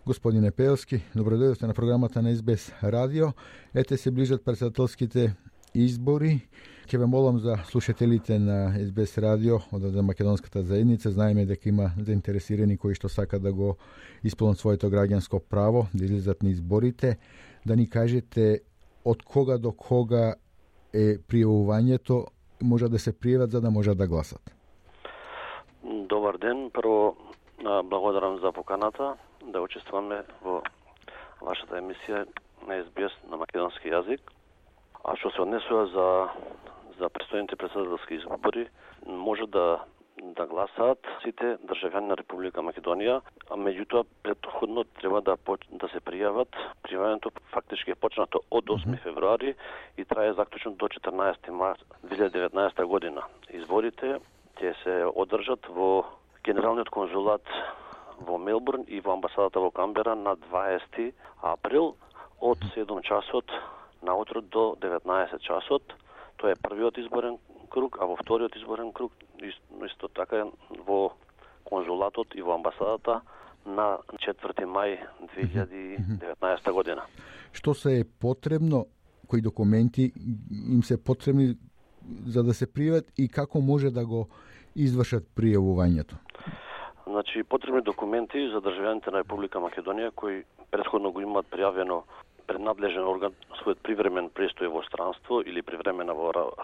Господине Пеевски, добродојдовте на програмата на СБС радио. Ете се ближат председателските избори. Ќе ве молам за слушателите на СБС радио од македонската заедница. Знаеме дека има заинтересирани кои што сакат да го исполнат своето граѓанско право, да излезат на изборите. Да ни кажете од кога до кога е пријавувањето, може да се пријават за да можат да гласат. Добар ден. Прво благодарам за поканата да учествуваме во вашата емисија на СБС на македонски јазик. А што се однесува за престојните председателски избори, може да гласаат сите државјани на Република Македонија, а меѓутоа претходно треба да се пријават. Пријавањето фактички е почнато од 8 февруари и трае заклучно до 14 март 2019 година. Изборите ќе се одржат во Генералниот конзулат во Мелбурн и во амбасадата во Камбера на 20 април од 7 часот наутро до 19 часот. Тоа е првиот изборен круг, а во вториот изборен круг исто така во конзулатот и во амбасадата на 4 мај 2019 година. Што се е потребно, кои документи им се потребни за да се пријават и како може да го извршат пријавувањето? Значи, потребни документи за државјаните на Република Македонија кои претходно го имаат пријавено пред надлежен орган својот привремен престој во странство или привремена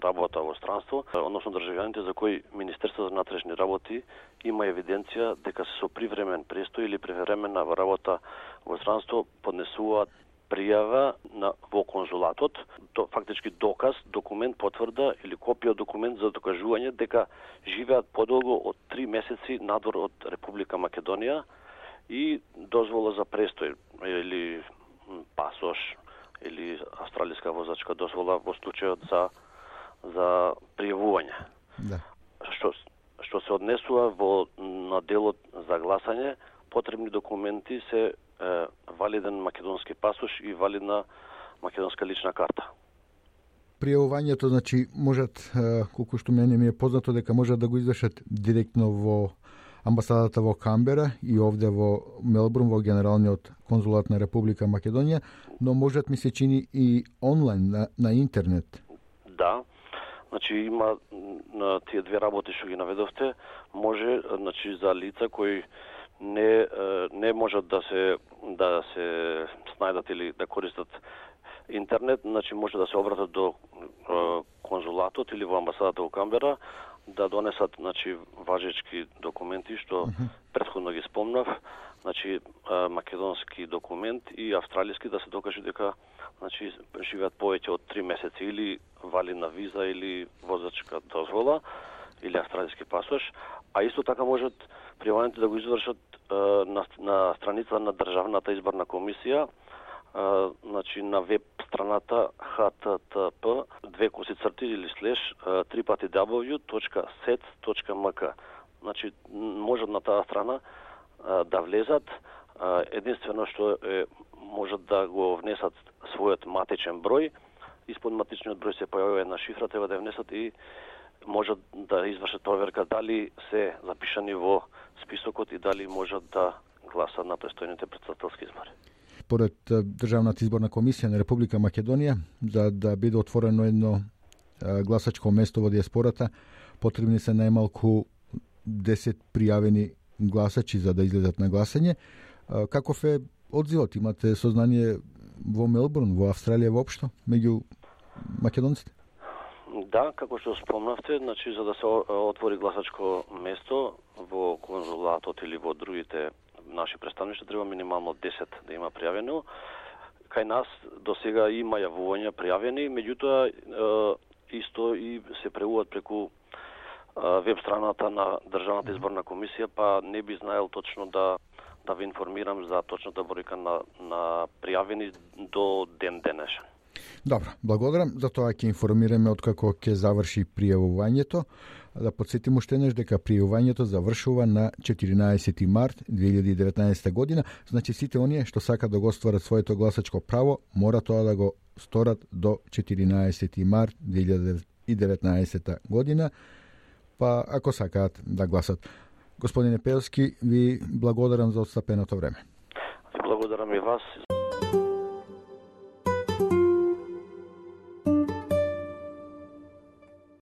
работа во странство, односно државјаните за кои Министерството за внатрешни работи има евиденција дека се со привремен престој или привремена работа во странство поднесуваат пријава во конзулатот, фактички доказ, документ, потврда или копија документ за докажување дека живеат подолго од 3 месеци надвор од Република Македонија и дозвола за престој или пасош или австралиска возачка дозвола во случајот за пријавување. Да. Што се однесува на делот за гласање, потребни документи се валиден македонски пасош и валидна македонска лична карта. Пријавувањето, значи, можат, колку што мене ми е познато, дека можат да го извршат директно во амбасадата во Камбера и овде во Мелбурн, во Генералниот конзулат на Република Македонија, но можат, ми се чини, и онлайн, на интернет. Да, значи има на тие две работи што ги наведовте, може, значи, за лица кои не можат да се снајдат или да користат интернет, значи може да се обратат до конзулатот или во амбасадата во Камбера да донесат, значи, важечки документи што претходно ги спомнав, значи македонски документ и австралиски да се докаже дека, значи, живеат повеќе од 3 месеци или валидна виза или возачка дозвола или австралиски пасош, а исто така можат пријавањето да го извршат на страница на Државната изборна комисија, значи на веб страната http://www.sets.mk. Значи можат на таа страна да влезат, единствено што можат да го внесат својот матичен број, испод матичниот број се појавува една шифра, треба да ја внесат и можат да извршат проверка дали се запишани во списокот и дали можат да гласат на престојните председателски избори. Поред Државната изборна комисија на Република Македонија, за да биде отворено едно гласачко место во диаспората, потребни се најмалку 10 пријавени гласачи за да излезат на гласање. Каков е одзивот? Имате сознание во Мелбурн, во Австралија воопшто, меѓу македонците? Да, како што спомнавте, значи за да се отвори гласачко место во конзулатот или во другите наши представништва треба минимално 10 да има пријавено. Кај нас до сега има јавувања пријавени, меѓутоа исто и се преуваат преку веб страната на Државната изборна комисија, па не би знаел точно да ви информирам за точната бројка на пријавени до ден денешен. Добро, благодарам. За тоа ќе информираме откако ќе заврши пријавувањето. Да подсетим уште еднаш дека пријавувањето завршува на 14 март 2019 година. Значи сите оние што сакат да го остварат своето гласачко право, мора тоа да го сторат до 14 март 2019 година, па ако сакаат да гласат. Господине Пеевски, ви благодарам за отстапеното време. Благодарам и вас.